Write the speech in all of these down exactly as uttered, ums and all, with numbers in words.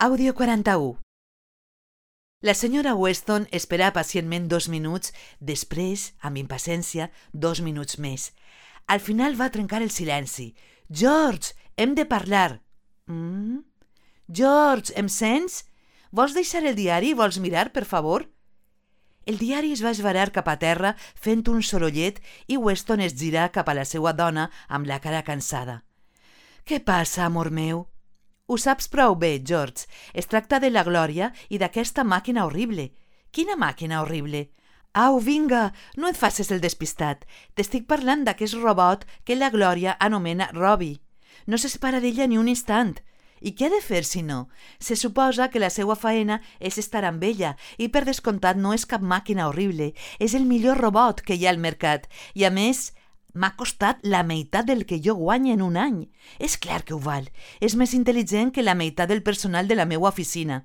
Àudio quaranta-u. La senyora Weston espera pacientment dos minuts, després, amb impaciència, dos minuts més. Al final va trencar el silenci. «George, hem de parlar!» Mm? «George, em sents? Vols deixar el diari i vols mirar, per favor?» El diari es va esvarar cap a terra fent un sorollet i Weston es girà cap a la seva dona amb la cara cansada. «Què passa, amor meu?» «Ho saps prou bé, George. Es tracta de la Glòria i d'aquesta màquina horrible». «Quina màquina horrible?» «Au, vinga, no et facis el despistat. T'estic parlant d'aquest robot que la Glòria anomena Robbie. No se separa d'ella ni un instant. I què ha de fer, si no? Se suposa que la seva faena és estar amb ella i, per descomptat, no és cap màquina horrible. És el millor robot que hi ha al mercat. I, a més, m'ha costat la meitat del que jo guanyo en un any. És clar que ho val. És més intel·ligent que la meitat del personal de la meva oficina.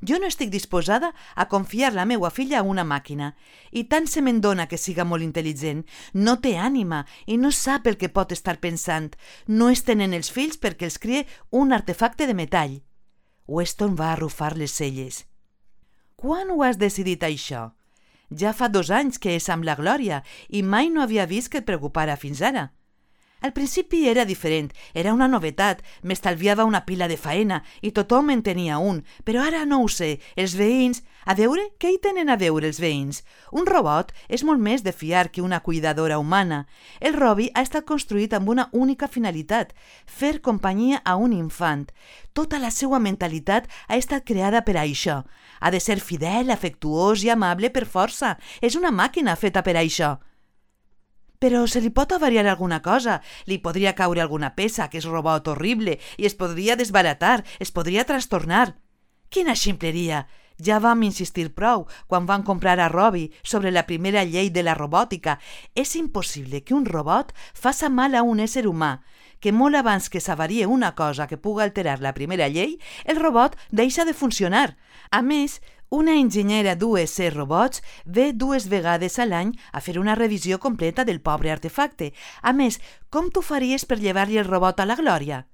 Jo no estic disposada a confiar la meva filla a una màquina. I tant se me'n dona que siga molt intel·ligent. No té ànima i no sap el que pot estar pensant. No es tenen els fills perquè els crie un artefacte de metall. Weston va arrufar les celles. Quan ho has decidit, això? Ja fa dos anys que és amb la Glòria i mai no havia vist que et preocupara fins ara. Al principi era diferent, era una novetat, m'estalviava una pila de faena i tothom en tenia un, però ara no ho sé, els veïns... A veure, què hi tenen a veure els veïns? Un robot és molt més de fiar que una cuidadora humana. El Robbie ha estat construït amb una única finalitat, fer companyia a un infant. Tota la seva mentalitat ha estat creada per a això. Ha de ser fidel, afectuós i amable per força. És una màquina feta per a això. Però se li pot avariar alguna cosa, li podria caure alguna peça a aquest robot horrible i es podria desbaratar, es podria trastornar. Quina ximpleria! Ja vam insistir prou quan van comprar a Robbie sobre la primera llei de la robòtica. És impossible que un robot faça mal a un ésser humà, que molt abans que s'avarie una cosa que puga alterar la primera llei, el robot deixa de funcionar. A més, una enginyera d'U S Robots ve dues vegades a l'any a fer una revisió completa del pobre artefacte. A més, com t'ho faries per llevar-li el robot a la Glòria?